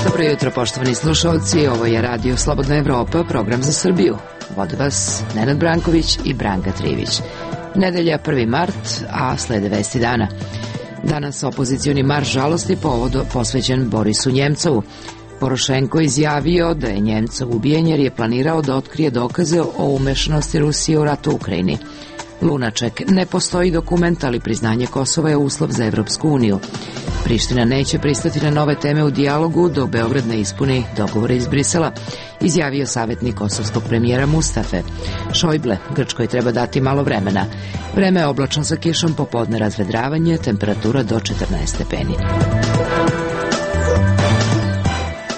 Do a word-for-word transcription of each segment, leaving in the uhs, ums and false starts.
Dobro jutro, poštovani slušalci, ovo je Radio Slobodna Evropa, program za Srbiju. Vode vas Nenad Branković i Branka Trivić. Nedelja prvi mart, a slede vesti dana. Danas opozicioni marš žalosti povodo posvećen Borisu Njemcovu. Porošenko izjavio da je Njemcov ubijen jer je planirao da otkrije dokaze o umešanosti Rusije u ratu u Ukrajini. Lunaček, ne postoji dokument, ali priznanje Kosova je uslov za Evropsku uniju. Priština neće pristati na nove teme u dijalogu dok Beograd ne ispuni dogovore iz Brisela, izjavio savjetnik kosovskog premijera Mustafe. Šojble, Grčkoj treba dati malo vremena. Vreme je oblačno sa kišom, popodne razvedravanje, temperatura do četrnaest stepeni.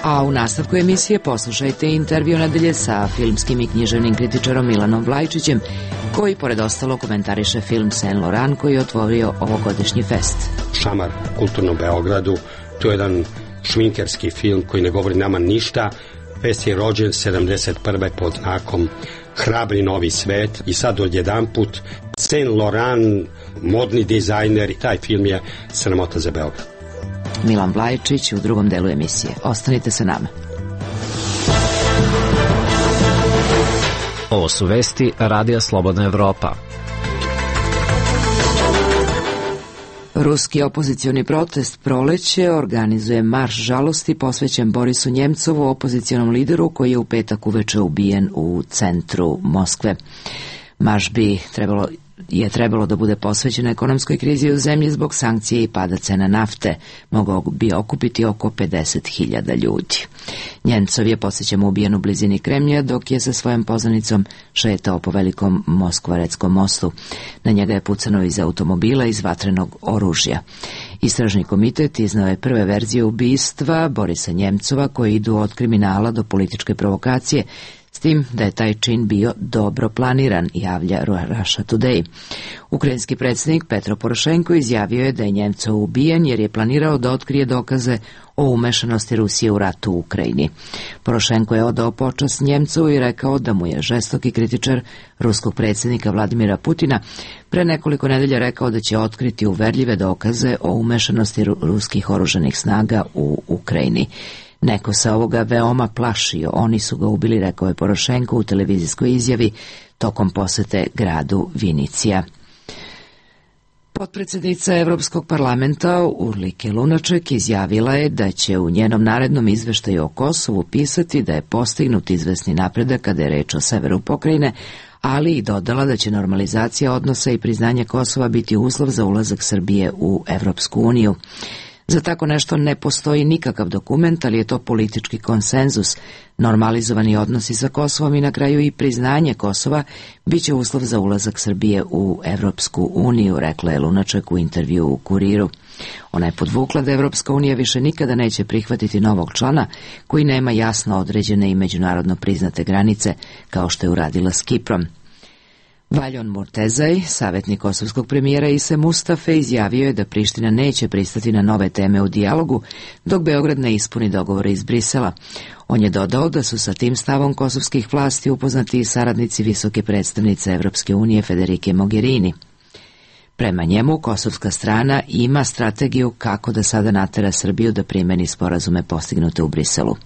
A u nastavku emisije poslušajte intervju nedelje sa filmskim i književnim kritičarom Milanom Vlajčićem, koji pored ostalo komentariše film Saint Laurent koji je otvorio ovogodišnji fest. Šamar kulturnom Beogradu, to je jedan šminkerski film koji ne govori nama ništa. Fest je rođen sedamdeset prve pod znakom Hrabri novi svet i sad odjedanput Saint Laurent, modni dizajner, i taj film je sramota za Beograd. Milan Vlajčić u drugom delu emisije. Ostanite sa nama. Ovo su vesti Radija Slobodna Evropa. Ruski opozicioni protest Proleće organizuje marš žalosti posvećen Borisu Njemcovu, opozicionom lideru koji je u petak uveče ubijen u centru Moskve. Marš bi trebalo je trebalo da bude posvećen ekonomskoj krizi u zemlji zbog sankcije i pada cena nafte. Mogao bi okupiti oko pedeset hiljada ljudi. Njemcov je posjećan ubijen u blizini Kremlja dok je sa svojom poznanicom šetao po velikom Moskvaretskom mostu. Na njega je pucano iz automobila iz vatrenog oružja. Istražni komitet iznao je prve verzije ubistva Borisa Njemcova koji idu od kriminala do političke provokacije, s tim da je taj čin bio dobro planiran, javlja Russia Today. Ukrajinski predsjednik Petro Porošenko izjavio je da je Njemcov ubijen jer je planirao da otkrije dokaze o umešanosti Rusije u ratu u Ukrajini. Porošenko je odao počast Njemcovu i rekao da mu je žestoki kritičar ruskog predsjednika Vladimira Putina pre nekoliko nedelja rekao da će otkriti uverljive dokaze o umešanosti ruskih oružanih snaga u Ukrajini. Neko se ovoga veoma plašio, oni su ga ubili, rekao je Porošenko u televizijskoj izjavi tokom posete gradu Vinicija. Potpredsjednica Evropskog parlamenta Urlike Lunaček izjavila je da će u njenom narednom izveštaju o Kosovu pisati da je postignut izvesni napredak kada je reč o severu pokrajine, ali i dodala da će normalizacija odnosa i priznanje Kosova biti uslov za ulazak Srbije u Evropsku uniju. Za tako nešto ne postoji nikakav dokument, ali je to politički konsenzus. Normalizovani odnosi sa Kosovom i na kraju i priznanje Kosova biće uslov za ulazak Srbije u Evropsku uniju, rekla je Lunaček u intervju u Kuriru. Ona je podvukla da Evropska unija više nikada neće prihvatiti novog člana koji nema jasno određene i međunarodno priznate granice, kao što je uradila s Kiprom. Valjon Murtezaj, savjetnik kosovskog premijera Ise Mustafe, izjavio je da Priština neće pristati na nove teme u dijalogu dok Beograd ne ispuni dogovore iz Brisela. On je dodao da su sa tim stavom kosovskih vlasti upoznati i saradnici visoke predstavnice Evropske unije Federike Mogherini. Prema njemu, kosovska strana ima strategiju kako da sada natera Srbiju da primeni sporazume postignute u Briselu.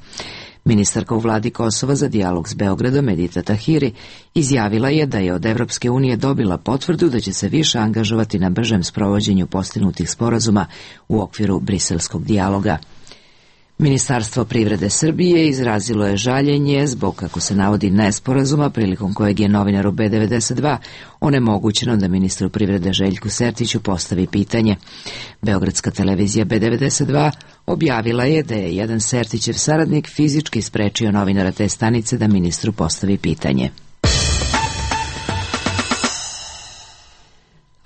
Ministarka u vladi Kosova za dijalog s Beogradom Edita Tahiri izjavila je da je od Evropske unije dobila potvrdu da će se više angažovati na bržem sprovođenju postignutih sporazuma u okviru briselskog dijaloga. Ministarstvo privrede Srbije izrazilo je žaljenje zbog, kako se navodi, nesporazuma prilikom kojeg je novinaru B devedeset dva onemogućeno da ministru privrede Željku Sertiću postavi pitanje. Beogradska televizija B devedeset dva objavila je da je jedan Sertićev saradnik fizički sprečio novinara te stanice da ministru postavi pitanje.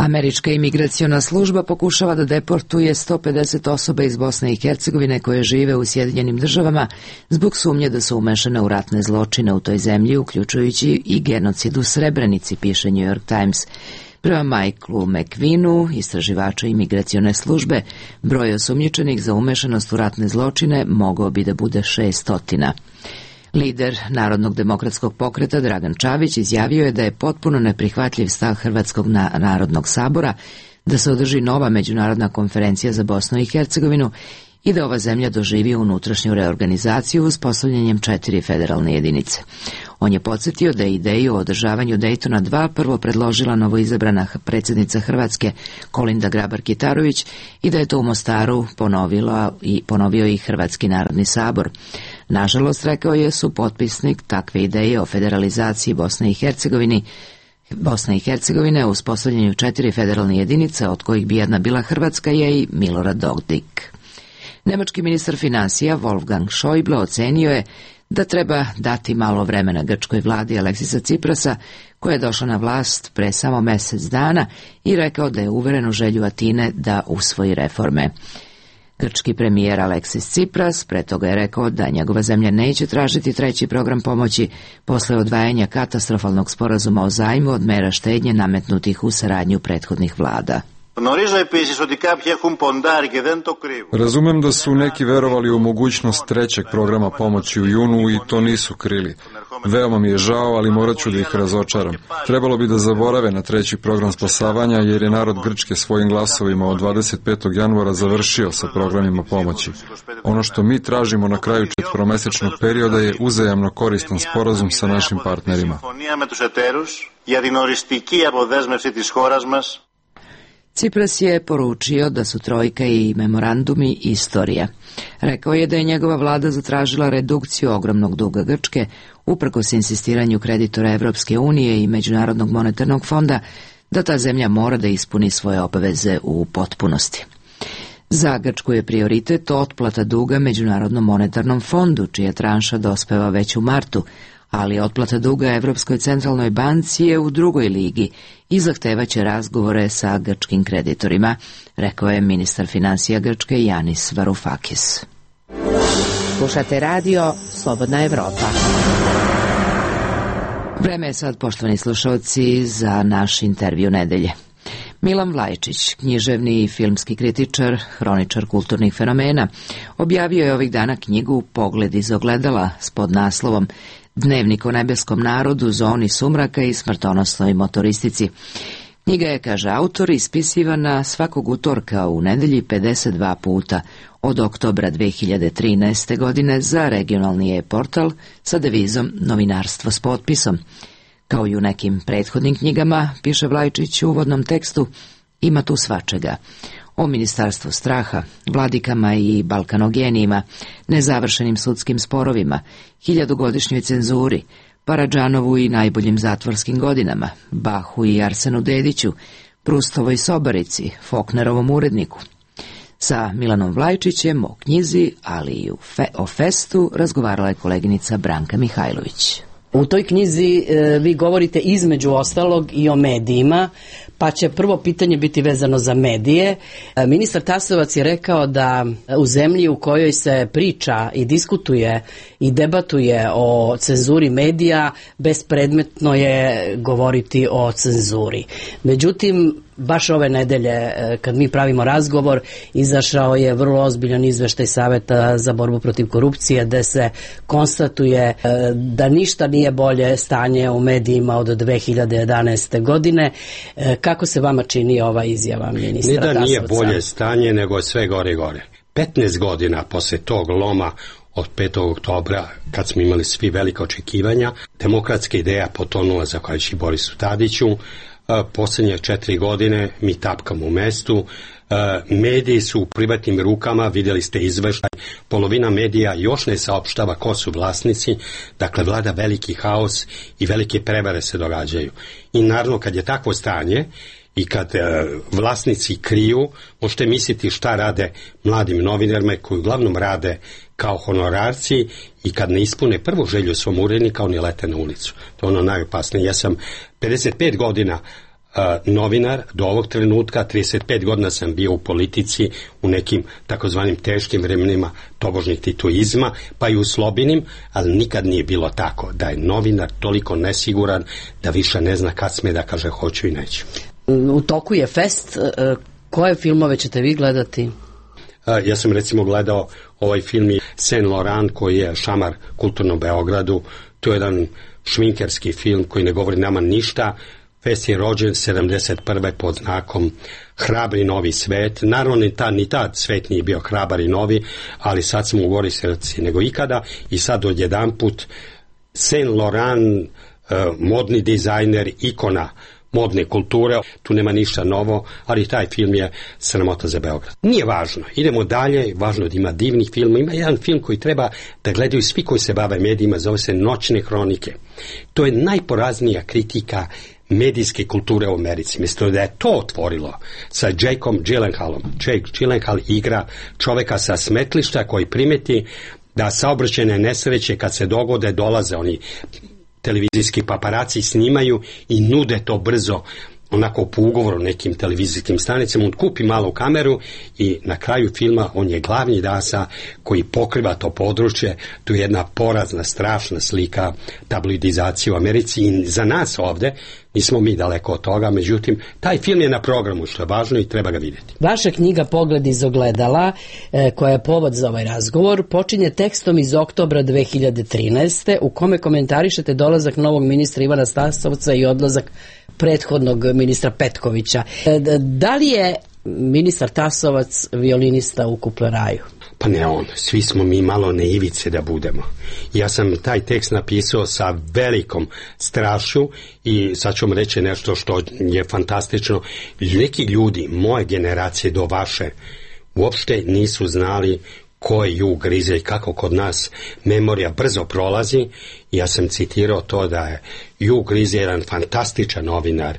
Američka imigraciona služba pokušava da deportuje sto pedeset osoba iz Bosne i Hercegovine koje žive u Sjedinjenim državama zbog sumnje da su umešane u ratne zločine u toj zemlji, uključujući i genocid u Srebrenici, piše New York Times. Prema Michaelu McQueenu, istraživača imigracione službe, broj osumnjičenih za umešanost u ratne zločine mogao bi da bude šest stotina. Lider Narodnog demokratskog pokreta Dragan Čavić izjavio je da je potpuno neprihvatljiv stav Hrvatskog narodnog sabora da se održi nova međunarodna konferencija za Bosnu i Hercegovinu i da ova zemlja doživi unutrašnju reorganizaciju uspostavljanjem četiri federalne jedinice. On je podsjetio da je ideju o održavanju Dejtona dva prvo predložila novoizabrana predsjednica Hrvatske Kolinda Grabar-Kitarović i da je to u Mostaru ponovila i ponovio i Hrvatski narodni sabor. Nažalost, rekao je, su potpisnik takve ideje o federalizaciji Bosne i Hercegovine Bosna i Hercegovine u uspostavljanju četiri federalne jedinice, od kojih bi jedna bila Hrvatska, je i Milorad Dodik. Nemački ministar finansija Wolfgang Schäuble ocenio je da treba dati malo vremena grčkoj vladi Aleksisa Ciprasa, koja je došla na vlast pre samo mjesec dana, i rekao da je uveren u želju Atine da usvoji reforme. Grčki premijer Aleksis Cipras pre toga je rekao da njegova zemlja neće tražiti treći program pomoći posle odvajanja katastrofalnog sporazuma o zajmu od mera štednje nametnutih u saradnju prethodnih vlada. Razumem da su neki verovali u mogućnost trećeg programa pomoći u junu i to nisu krili. Veoma mi je žao, ali morat ću da ih razočaram. Trebalo bi da zaborave na treći program spasavanja, jer je narod Grčke svojim glasovima od dvadeset petog januara završio sa programima pomoći. Ono što mi tražimo na kraju četvoromesečnog perioda je uzajamno koristan sporazum sa našim partnerima. Cipras je poručio da su trojka i memorandumi istorija. Rekao je da je njegova vlada zatražila redukciju ogromnog duga Grčke, uprkos insistiranju kreditora Evropske unije i Međunarodnog monetarnog fonda, da ta zemlja mora da ispuni svoje obaveze u potpunosti. Za Grčku je prioritet otplata duga Međunarodnom monetarnom fondu, čija tranša dospeva već u martu, ali otplata duga Evropskoj centralnoj banci je u drugoj ligi i zahtevaće razgovore sa grčkim kreditorima, rekao je ministar finansija Grčke Janis Varoufakis. Slušate radio Slobodna Evropa. Vreme je sad, poštovani slušalci, za naš intervju nedelje. Milan Vlajčić, književni i filmski kritičar, hroničar kulturnih fenomena, objavio je ovih dana knjigu Pogled iz ogledala s podnaslovom Dnevnik o nebeskom narodu, zoni sumraka i smrtonosnoj motoristici. Knjiga je, kaže autor, ispisivana svakog utorka u nedelji pedeset dva puta od oktobra dve hiljade trinaeste. godine za regionalni e-portal sa devizom Novinarstvo s potpisom. Kao i u nekim prethodnim knjigama, piše Vlajčić u uvodnom tekstu, ima tu svačega. O ministarstvu straha, vladikama i balkanogenijima, nezavršenim sudskim sporovima, hiljadugodišnjoj cenzuri, Paradžanovu i najboljim zatvorskim godinama, Bahu i Arsenu Dediću, Prustovoj sobarici, Foknerovom uredniku. Sa Milanom Vlajčićem o knjizi, ali i fe, o festu, razgovarala je koleginica Branka Mihajlović. U toj knjizi e, vi govorite između ostalog i o medijima, pa će prvo pitanje biti vezano za medije. E, ministar Tasovac je rekao da u zemlji u kojoj se priča i diskutuje i debatuje o cenzuri medija, bespredmetno je govoriti o cenzuri. Međutim, baš ove nedelje, kad mi pravimo razgovor, izašao je vrlo ozbiljan izveštaj Saveta za borbu protiv korupcije, gde se konstatuje da ništa nije bolje stanje u medijima od dve hiljade jedanaeste. godine. Kako se vama čini ova izjava ministra Tasovca? Ne da nije bolje stanje, nego sve gore i gore. petnaest godina posle tog loma od petog oktobra, kad smo imali svi velika očekivanja, demokratska ideja potonula zahvaljujući Borisu Tadiću. Posljednje četiri godine mi tapkamo u mestu, mediji su u privatnim rukama, vidjeli ste izveštaj, polovina medija još ne saopštava ko su vlasnici, dakle vlada veliki haos i velike prevare se događaju. I naravno kad je takvo stanje i kad e, vlasnici kriju, možete misliti šta rade mladim novinarima koji uglavnom rade kao honorarci i kad ne ispune prvu želju svom urednika, oni lete na ulicu. To je ono najopasnije. Ja sam pedeset pet godina uh, novinar, do ovog trenutka trideset pet godina sam bio u politici u nekim takozvanim teškim vremenima tobožnjeg tituizma, pa i u slobinim, ali nikad nije bilo tako da je novinar toliko nesiguran da više ne zna kad sme da kaže hoću i neću. U toku je fest. Koje filmove ćete vi gledati? Ja sam recimo gledao ovaj film Saint Laurent koji je šamar kulturnom Beogradu. To je jedan šminkerski film koji ne govori nama ništa. Fest je rođen sedamdeset prve pod znakom Hrabri novi svet. Naravno ni tad, ni tad svet nije bio hrabar i novi, ali sad smo u gori srci nego ikada i sad odjedanput Saint Laurent, modni dizajner, ikona modne kulture, tu nema ništa novo, ali taj film je sramota za Beograd. Nije važno, idemo dalje, važno da ima divnih filmova. Ima jedan film koji treba da gledaju svi koji se bave medijima, zove se Noćne hronike. To je najporaznija kritika medijske kulture u Americi. Mislim da je to otvorilo sa Jakeom Gyllenhaalom. Jake Gyllenhaal igra čoveka sa smetlišta koji primeti da saobraćajne nesreće kad se dogode dolaze oni televizijski paparaci, snimaju i nude to brzo onako po ugovoru nekim televizijskim stanicama. On kupi malu kameru i na kraju filma on je glavni dasa koji pokriva to područje. Tu je jedna porazna, strašna slika tabloidizacije u Americi i za nas ovde nismo mi daleko od toga, međutim taj film je na programu, što je važno i treba ga vidjeti. Vaša knjiga Pogled iz ogledala, e, koja je povod za ovaj razgovor, počinje tekstom iz oktobra dve hiljade trinaeste. u kome komentarišete dolazak novog ministra Ivana Tasovca i odlazak prethodnog ministra Petkovića. E, da li je ministar Tasovac violinista u Kupleraju? Pa ne on, svi smo mi malo naivice da budemo. Ja sam taj tekst napisao sa velikom strašću i sad ću vam reći nešto što je fantastično. Neki ljudi, moje generacije do vaše, uopšte nisu znali ko je Ju Grizelj, kako kod nas memorija brzo prolazi. Ja sam citirao to da je Ju Grizelj jedan fantastičan novinar.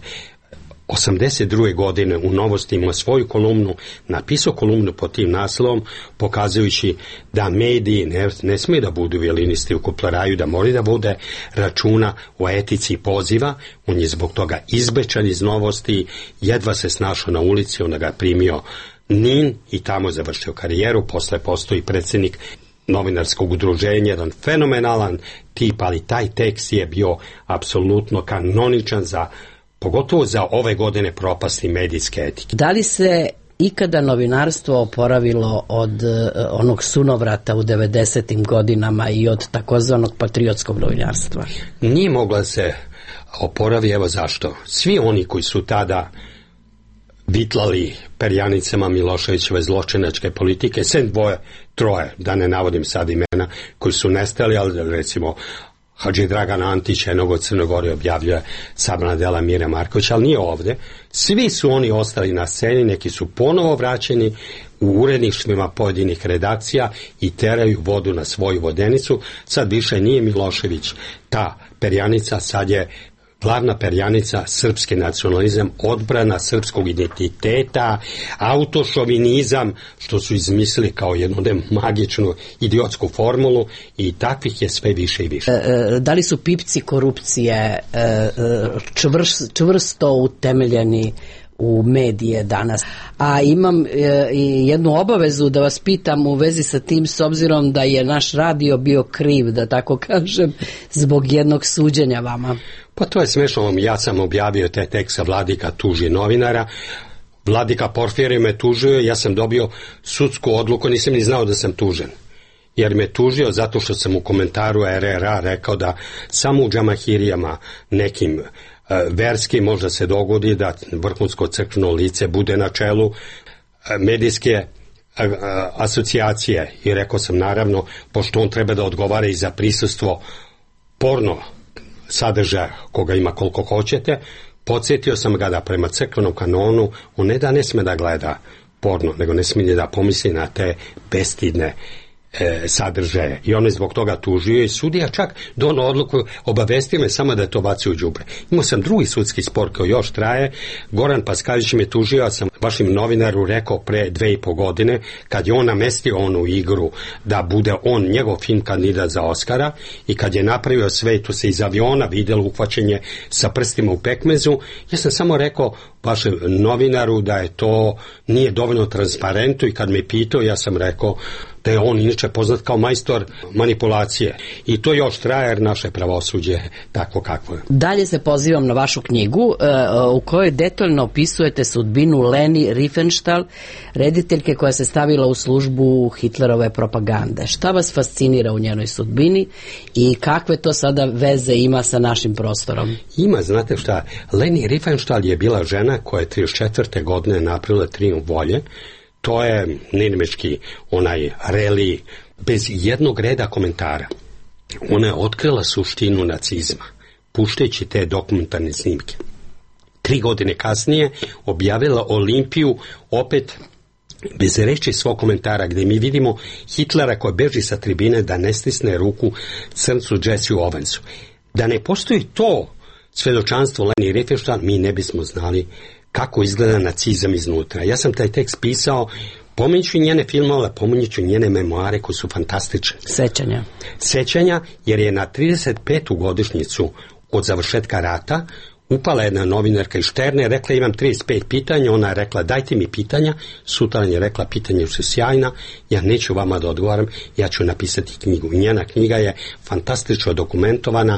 osamdeset druge godine u Novosti ima svoju kolumnu, napisao kolumnu pod tim naslovom, pokazujući da mediji ne, ne smije da budu violinisti u Kupleraju, da mora da bude računa o etici poziva. On je zbog toga izbečan iz Novosti, jedva se snašao na ulici, onda ga primio Nin i tamo završio karijeru. Posle postoji predsjednik novinarskog udruženja, jedan fenomenalan tip, ali taj tekst je bio apsolutno kanoničan za pogotovo za ove godine propasti medijske etike. Da li se ikada novinarstvo oporavilo od uh, onog sunovrata u devedesetim godinama i od takozvanog patriotskog novinarstva? Nije mogla se oporavi, evo zašto. Svi oni koji su tada vitlali perjanicama Miloševićeve zločinačke politike, sem dvoje, troje, da ne navodim sad imena, koji su nestali, ali recimo Hadži Dragan Antić jednog od Crne Gore objavljuje sabrana dela Mire Markovića, ali nije ovde. Svi su oni ostali na sceni, neki su ponovo vraćeni u uredništvima pojedinih redakcija i teraju vodu na svoju vodenicu. Sad više nije Milošević ta perjanica, sad je glavna perjanica srpski nacionalizam, odbrana srpskog identiteta, autošovinizam, što su izmislili kao jednu magičnu idiotsku formulu, i takvih je sve više i više. E, da li su pipci korupcije e, čvrst, čvrsto utemeljeni u medije danas? A imam e, i jednu obavezu da vas pitam u vezi sa tim, s obzirom da je naš radio bio kriv, da tako kažem, zbog jednog suđenja vama. Pa to je smešno, ja sam objavio taj tekst, Vladika tuži novinara, Vladika Porfirije me tužio, ja sam dobio sudsku odluku, nisam ni znao da sam tužen, jer me tužio zato što sam u komentaru er er a rekao da samo u džamahirijama nekim verski možda se dogodi da vrhunsko crkveno lice bude na čelu medijske asocijacije, i rekao sam naravno, pošto on treba da odgovara i za prisustvo porno sadržaja koga ima koliko hoćete, podsjetio sam ga da prema crkvenom kanonu on ne da ne sme da gleda porno, nego ne smije da pomisli na te bestidne e, sadržaje. I on je zbog toga tužio i sudija čak dono odluku, obavestio me samo da je to bacio u đubre. Imao sam drugi sudski spor koji još traje. Goran Paskalić me tužio, ja sam vašim novinaru rekao pre dve i po godine, kad je on namestio onu igru da bude on, njegov film, kandidat za Oskara, i kad je napravio sve, tu se iz aviona vidjelo uhvaćenje sa prstima u pekmezu, ja sam samo rekao vašem novinaru da je to nije dovoljno transparentno, i kad me pitao, ja sam rekao da je on inače poznat kao majstor manipulacije. I to još traje jer naše pravosuđe tako kakvo je. Dalje se pozivam na vašu knjigu u kojoj detaljno opisujete sudbinu Leni Riefenstahl, rediteljke koja se stavila u službu Hitlerove propagande. Šta vas fascinira u njenoj sudbini i kakve to sada veze ima sa našim prostorom? Ima, znate šta, Leni Riefenstahl je bila žena koja je trideset četvrte godine napravila Trijumf volje. To je nenamečki onaj reli bez jednog reda komentara. Ona je otkrila suštinu nacizma, puštajući te dokumentarne snimke. Tri godine kasnije objavila Olimpiju opet bez reči svog komentara, gdje mi vidimo Hitlera koji beži sa tribine da ne stisne ruku crncu Jesseu Owensu. Da ne postoji to svedočanstvo Leni Riefenstahl, mi ne bismo znali kako izgleda nacizam iznutra. Ja sam taj tekst pisao, pominjući njene filmove, pominjući njene memoare koji su fantastične. Sećanja. Sećanja, jer je na trideset petu godišnjicu od završetka rata upala jedna novinarka iz Šterne, rekla imam trideset pet pitanja, ona je rekla dajte mi pitanja, sutradan je rekla pitanja su sjajna, ja neću vama da odgovaram, ja ću napisati knjigu. I njena knjiga je fantastično dokumentovana,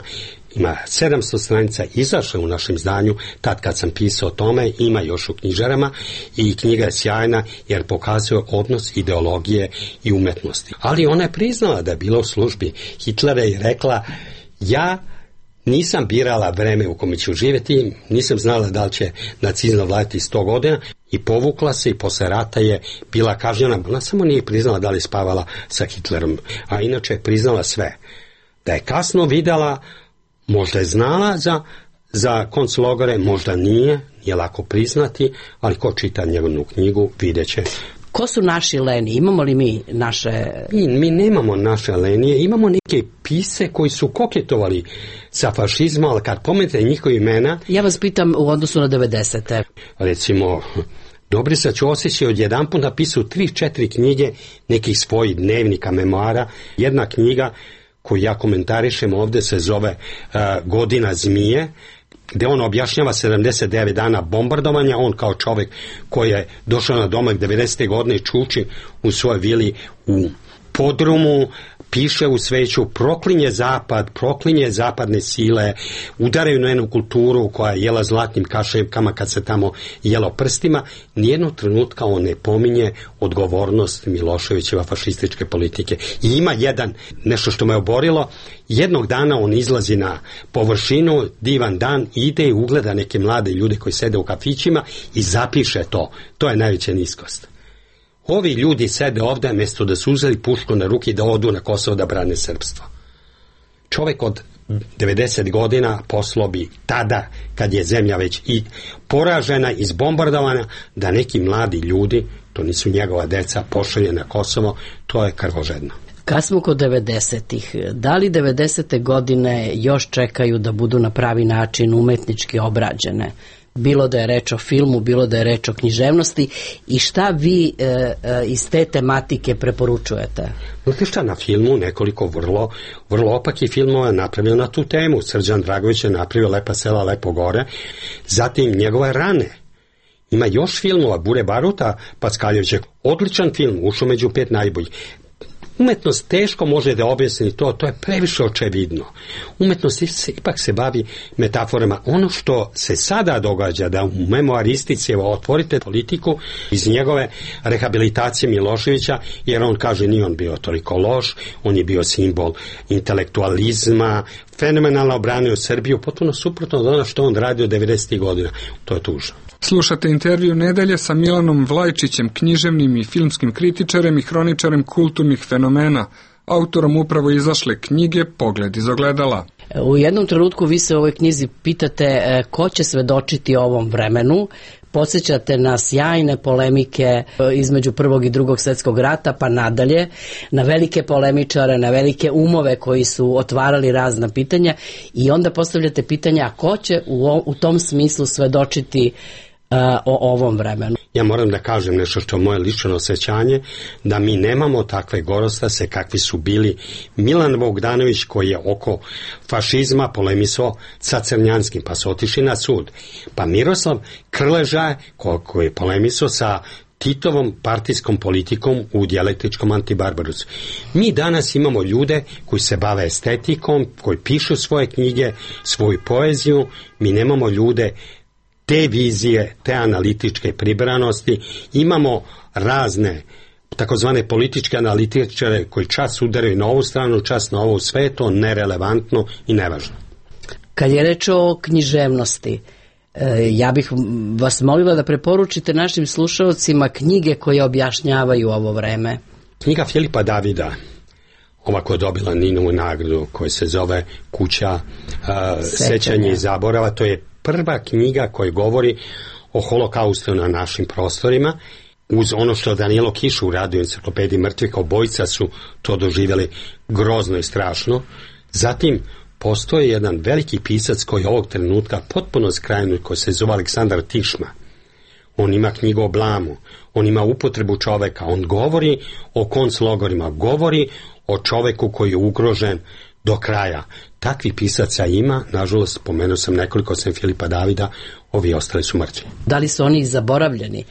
ima sedamsto stranica, izašla u našem izdanju, tad kad sam pisao o tome, ima još u knjižarama i knjiga je sjajna jer pokazuje odnos ideologije i umetnosti. Ali ona je priznala da je bila u službi Hitlera i rekla ja nisam birala vreme u kome ću živjeti, nisam znala da li će nacizam vladati sto godina i povukla se i posle rata je bila kažnjena. Ona samo nije priznala da li je spavala sa Hitlerom, a inače je priznala sve. Da je kasno videla, možda je znala za, za konclogore, možda nije, nije lako priznati, ali ko čita njegovu knjigu vidjet će. Ko su naši Leni? Imamo li mi naše... Mi, mi nemamo naše Lenije, imamo neke pise koji su koketovali sa fašizmom, ali kad pomenete njihove imena... Ja vas pitam u odnosu na devedesete. Recimo, Dobriša Ćosić je odjedanput napisao tri, četiri knjige nekih svojih dnevnika, memoara. Jedna knjiga koju ja komentarišem ovdje se zove uh, Godina zmije, gdje on objašnjava sedamdeset devet dana bombardovanja, on kao čovjek koji je došao na domak devedesete godine čuči u svojoj vili u podrumu, piše u sveću, proklinje zapad, proklinje zapadne sile, udaraju na jednu kulturu koja je jela zlatnim kaševkama kad se tamo jelo prstima. Nijednog trenutka on ne pominje odgovornost Miloševićeva fašističke politike. I ima jedan, nešto što me oborilo, jednog dana on izlazi na površinu, divan dan, ide i ugleda neke mlade ljude koji sede u kafićima i zapiše to. To je najveća niskost. Ovi ljudi sede ovdje mjesto da su uzeli pušku na ruki da odu na Kosovo da brane srpstvo. Čovjek od devedeset godina poslao bi tada, kad je zemlja već i poražena, izbombardovana, da neki mladi ljudi, to nisu njegova deca, pošalje na Kosovo, to je krvožedno. Kad smo kod devedesetih, da li devedesete godine još čekaju da budu na pravi način umetnički obrađene? Bilo da je reč o filmu, bilo da je reč o književnosti, i šta vi e, e, iz te tematike preporučujete? Znate šta, na filmu nekoliko vrlo, vrlo opakih filmova je napravio na tu temu. Srđan Dragović je napravio Lepa sela, lepo gore, zatim njegove rane. Ima još filmova, Bure Baruta Packaljevića, odličan film, ušao među pet najboljih. Umetnost teško može da objasni to, to je previše očevidno. Umetnost se, ipak se bavi metaforama. Ono što se sada događa, da u memoaristici, evo, otvorite politiku iz njegove rehabilitacije Miloševića, jer on kaže nije on bio toliko loš, on je bio simbol intelektualizma, fenomenalno obranio Srbiju, potpuno suprotno od ono što on radio devedesetih godina. To je tužno. Slušate intervju nedelje sa Milanom Vlajčićem, književnim i filmskim kritičarem i hroničarem kulturnih fenomena, autorom upravo izašle knjige Pogled iz ogledala. U jednom trenutku vi se u ovoj knjizi pitate ko će svedočiti ovom vremenu. Podsjećate na sjajne polemike između prvog i drugog svjetskog rata pa nadalje, na velike polemičare, na velike umove koji su otvarali razna pitanja, i onda postavljate pitanja a ko će u, u tom smislu svedočiti uh, o ovom vremenu. Ja moram da kažem nešto što je moje lično osjećanje, da mi nemamo takve gorostase kakvi su bili Milan Bogdanović, koji je oko fašizma polemisao sa Crnjanskim, pa su otišli na sud. Pa Miroslav Krleža, koji je polemisao sa Titovom partijskom politikom u dijalektičkom Antibarbarusu. Mi danas imamo ljude koji se bave estetikom, koji pišu svoje knjige, svoju poeziju, mi nemamo ljude te vizije, te analitičke pribranosti, imamo razne takozvane političke analitičare koji čas udaraju na ovu stranu, čas na ovu, sve je to nerelevantno i nevažno. Kad je reč o književnosti, ja bih vas molila da preporučite našim slušalcima knjige koje objašnjavaju ovo vreme. Knjiga Filipa Davida, ova koja je dobila Ninovu nagradu, koja se zove Kuća uh, sećanja i zaborava, to je prva knjiga koja govori o holokaustu na našim prostorima, uz ono što Danilo Kiš uradio u enciklopediji mrtvih, obojica su to doživjeli grozno i strašno. Zatim postoji jedan veliki pisac koji je ovog trenutka potpuno skrajnut, koji se zove Aleksandar Tišma. On ima knjigu o blamu, on ima upotrebu čoveka, on govori o konclogorima, govori o čoveku koji je ugrožen do kraja. Takvi pisaca ima, nažalost, spomenuo sam nekoliko, sem Filipa Davida, ovi ostali su mrtvi. Da li su oni zaboravljeni?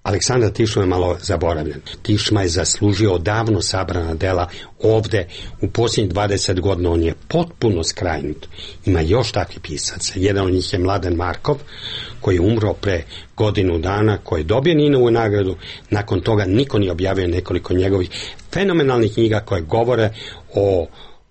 Aleksandar Tišma je malo zaboravljen. Tišma je zaslužio davno sabrana dela ovde. U posljednjih dvadeset godina on je potpuno skrajnut. Ima još takvih pisaca. Jedan od njih je Mladen Markov, koji je umro pre godinu dana, koji je dobio Ninovu nagradu. Nakon toga niko nije objavio nekoliko njegovih fenomenalnih knjiga koje govore o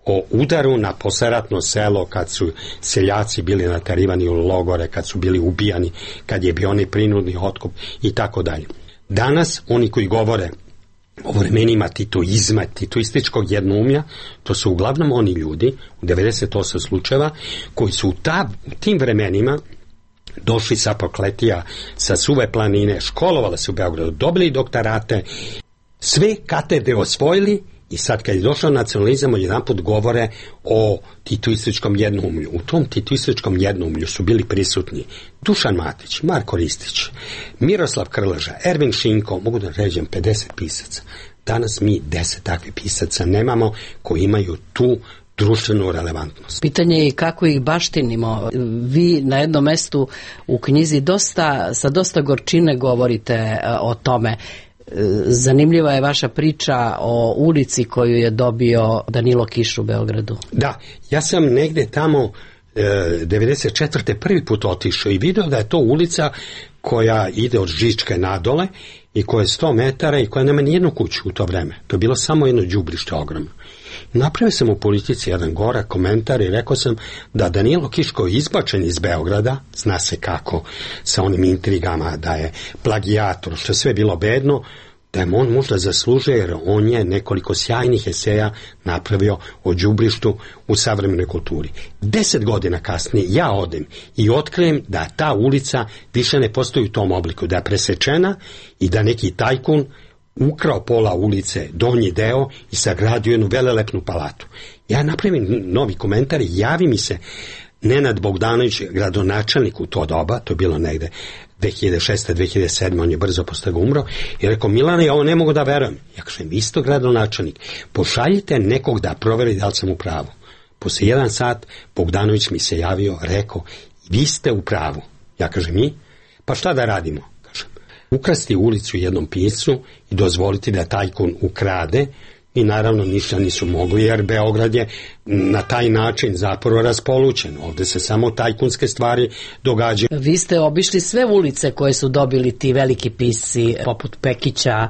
o udaru na posleratno selo, kad su seljaci bili naterivani u logore, kad su bili ubijani, kad je bio onaj prinudni otkup i tako dalje. Danas oni koji govore o vremenima titoizma, titoističkog jednoumlja, to su uglavnom oni ljudi, u devedeset osam slučajeva, koji su u, ta, u tim vremenima došli sa Prokletija, sa Suve planine, školovali se u Beogradu, dobili doktorate, sve katedre osvojili. I sad kad je došao nacionalizam, odjedanput govore o titoističkom jednoumlju. U tom titoističkom jednoumlju su bili prisutni Dušan Matić, Marko Ristić, Miroslav Krleža, Ervin Šinko, mogu da ređem pedeset pisaca. Danas mi deset takvih pisaca nemamo koji imaju tu društvenu relevantnost. Pitanje je kako ih baštinimo. Vi na jednom mestu u knjizi dosta, sa dosta gorčine govorite o tome. Zanimljiva je vaša priča o ulici koju je dobio Danilo Kiš u Beogradu. Da, ja sam negde tamo e, devedeset četvrte prvi put otišao i video da je to ulica koja ide od Žičke nadole i koja je sto metara i koja nema nijednu kuću u to vreme. To je bilo samo jedno đubrište ogromno. Napravio sam u Politici jedan gorak komentar i rekao sam da Danilo Kiš koji je izbačen iz Beograda, zna se kako, sa onim intrigama, da je plagijator, što je sve bilo bedno, da je on možda zaslužuje, jer on je nekoliko sjajnih eseja napravio o đubrištu u savremenoj kulturi. Deset godina kasnije ja odem i otkrijem da ta ulica više ne postoji u tom obliku, da je presečena i da neki tajkun ukrao pola ulice, donji deo i sagradio jednu velelepnu palatu. Ja napravim novi komentar i javi mi se Nenad Bogdanović, gradonačelnik u to doba, to je bilo negde dve hiljade šeste dve hiljade sedme, on je brzo posle ga umro, i rekao, Milane, ja ovo ne mogu da verujem. Ja kažem, isto gradonačelnik, pošaljite nekog da proveri da li sam u pravu. Posle jedan sat Bogdanović mi se javio, rekao, vi ste u pravu. Ja kažem, mi? Pa šta da radimo? Ukrasti ulicu jednom piscu i dozvoliti da tajkun ukrade i naravno ništa nisu mogli jer Beograd je na taj način zapravo raspolućen. Ovde se samo tajkunske stvari događaju. Vi ste obišli sve ulice koje su dobili ti veliki pisci poput Pekića,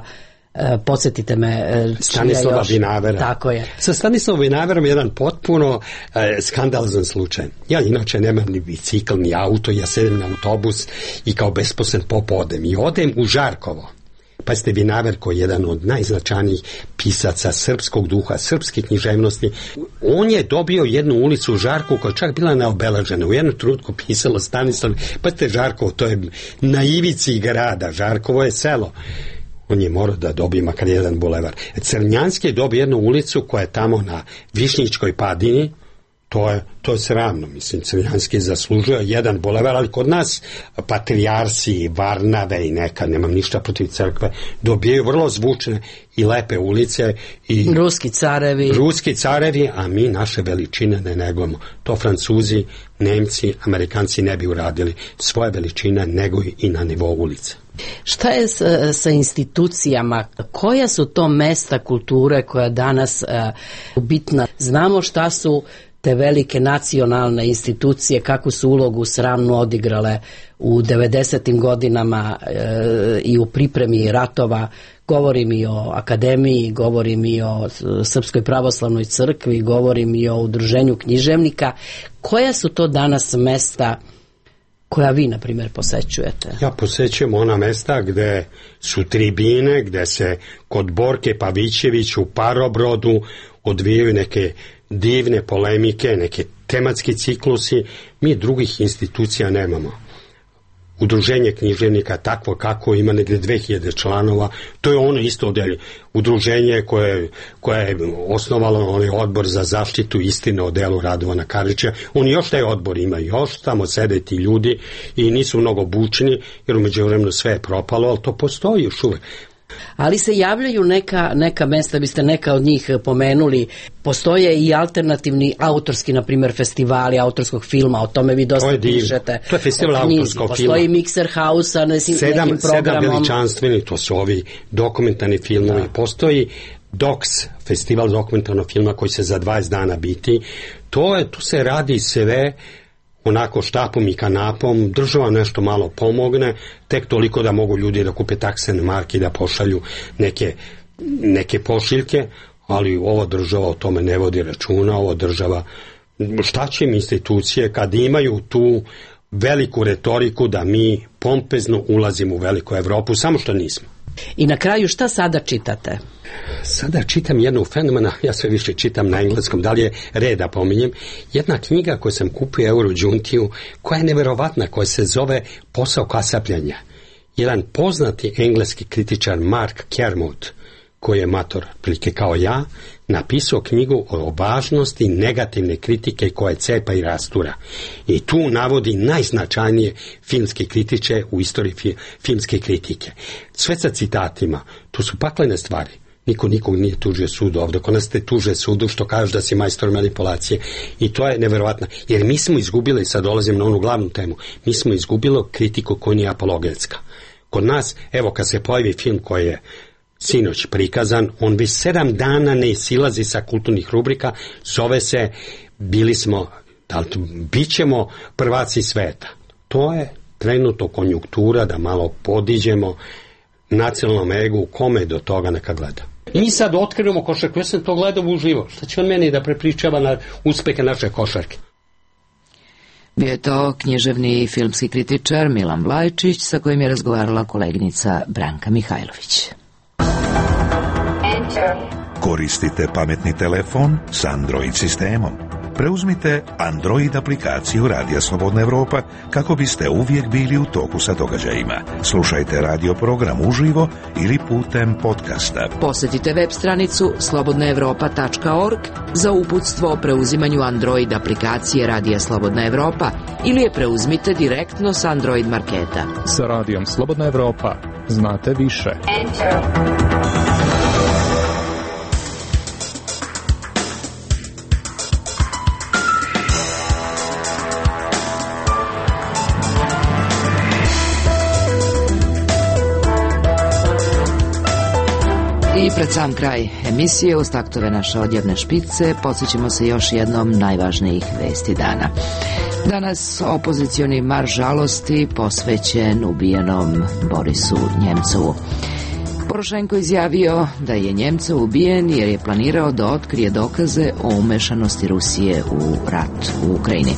podsjetite me, Stanislava Vinavera. Tako je. Sa Stanislavom Vinaverom je jedan potpuno e, skandalozan slučaj. Ja inače nemam ni bicikl, ni auto, ja sedem na autobus i kao besposlen pop odem. I odem u Žarkovo. Pa ste Vinaver koji je jedan od najznačajnijih pisaca srpskog duha, srpske književnosti. On je dobio jednu ulicu u Žarkovu koja je čak bila neobeležena. U jednu trutku pisalo Stanislav, pa ste Žarkovo, to je na ivici grada. Žarkovo je selo. On je morao da dobije makar jedan bulevar. Crnjanski je dobio jednu ulicu koja je tamo na Višnjičkoj padini. To je, to je sramno. Mislim, Crnjanski je zaslužio jedan bulevar, ali kod nas patrijarsi, Varnave i neka, nemam ništa protiv crkve, dobijaju vrlo zvučne i lepe ulice. I ruski carevi. Ruski carevi, a mi naše veličine ne negujemo. To Francuzi, Nemci, Amerikanci ne bi uradili. Svoje veličine neguju i na nivou ulice. Šta je sa, sa institucijama? Koja su to mesta kulture koja danas uh, bitna? Znamo šta su te velike nacionalne institucije, kakvu su ulogu sramnu odigrale u devedesetim godinama e, i u pripremi ratova. Govorim i o akademiji, govorim i o Srpskoj pravoslavnoj crkvi, govorim i o udruženju književnika. Koja su to danas mesta koja vi, na primjer, posećujete? Ja posećujem ona mesta gde su tribine, gde se kod Borke Pavićević u Parobrodu odvijaju neke divne polemike, neke tematski ciklusi. Mi drugih institucija nemamo. Udruženje književnika takvo kako ima negde dve hiljade članova, to je ono isto odelje. Udruženje koje, koje je osnovalo onaj odbor za zaštitu istine o delu Radovana Karadžića. Oni još taj odbor imaju, još tamo sede ti ljudi i nisu mnogo bučni, jer umeđu vremenu sve je propalo, ali to postoji još uvek. Ali se javljaju neka, neka mesta, biste neka od njih pomenuli. Postoje i alternativni autorski, na primjer, festivali autorskog filma, o tome vi dosta pišete. To je festival autorskog filma. Postoji Mixer House sa nekim sedam, programom. Sedam veličanstveni, to su ovi dokumentarni filmovi. Da. Postoji Doks, festival dokumentarnog filma koji se za dvadeset dana biti. To je, tu se radi sve onako štapom i kanapom, država nešto malo pomogne, tek toliko da mogu ljudi da kupe taksene marke i da pošalju neke, neke pošiljke, ali ova država o tome ne vodi računa, ova država, šta će im institucije kad imaju tu veliku retoriku da mi pompezno ulazimo u veliku Evropu, samo što nismo. I na kraju šta sada čitate? Sada čitam jednu fenomena, ja sve više čitam na engleskom, da li je red da pominjem, jedna knjiga koju sam kupio Eurođuntiju, koja je neverovatna, koja se zove Posao kasapljanja. Jedan poznati engleski kritičar Mark Kermode, koji je mator, prilike kao ja, napisao knjigu o važnosti negativne kritike koje cepa i rastura. I tu navodi najznačajnije filmske kritiče u istoriji fi, filmske kritike. Sve sa citatima, tu su paklene stvari. Niko nikog nije tužio sudu ovdje. Kod nas te tuže sudu što kažeš da si majstor manipulacije. I to je neverovatno. Jer mi smo izgubili, sad dolazim na onu glavnu temu, mi smo izgubili kritiku koja nije apologetska. Kod nas, evo kad se pojavi film koji je sinoć prikazan, on već sedam dana ne silazi sa kulturnih rubrika, zove se bili smo, da li, bit ćemo prvaci sveta. To je trenutno konjunktura da malo podiđemo nacionalnom egu, kome do toga neka gleda. Mi sad otkrivamo košarku, ja sam to gledao uživo. Šta će on meni da prepričava na uspehe naše košarke? Bio je to književni i filmski kritičar Milan Vlajčić, sa kojim je razgovarala koleginica Branka Mihajlović. Koristite pametni telefon s Android sistemom. Preuzmite Android aplikaciju Radija Slobodna Evropa kako biste uvijek bili u toku sa događajima. Slušajte radio program uživo ili putem podcasta. Posjetite web stranicu slobodna evropa tačka org za uputstvo o preuzimanju Android aplikacije Radija Slobodna Evropa ili je preuzmite direktno s Android marketa. Sa Radijom Slobodna Evropa znate više. Enter. I pred sam kraj emisije uz taktove naše odjavne špice podsjećamo se još jednom najvažnijih vesti dana. Danas opozicioni marš žalosti posvećen ubijenom Borisu Njemcovu. Porošenko izjavio da je Njemcov ubijen jer je planirao da otkrije dokaze o umešanosti Rusije u rat u Ukrajini.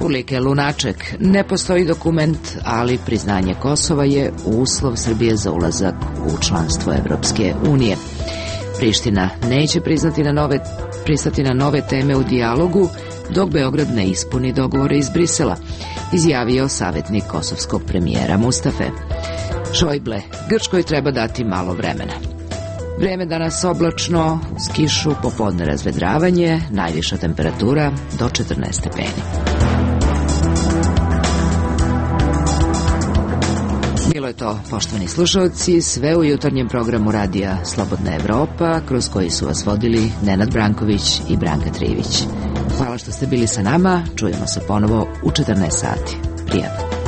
Ulike Lunaček, ne postoji dokument, ali priznanje Kosova je uslov Srbije za ulazak u članstvo Evropske unije. Priština neće priznati na nove, pristati na nove teme u dijalogu, dok Beograd ne ispuni dogovore iz Brisela, izjavio savjetnik kosovskog premijera Mustafe. Šojble, Grčkoj treba dati malo vremena. Vreme danas oblačno, uz kišu, popodne razvedravanje, najviša temperatura do četrnaest stepeni. Bilo je to, poštovani slušalci, sve u jutarnjem programu Radija Slobodna Evropa, kroz koji su vas vodili Nenad Branković i Branka Trivić. Hvala što ste bili sa nama, čujemo se ponovo u četrnaest sati. Prijatno.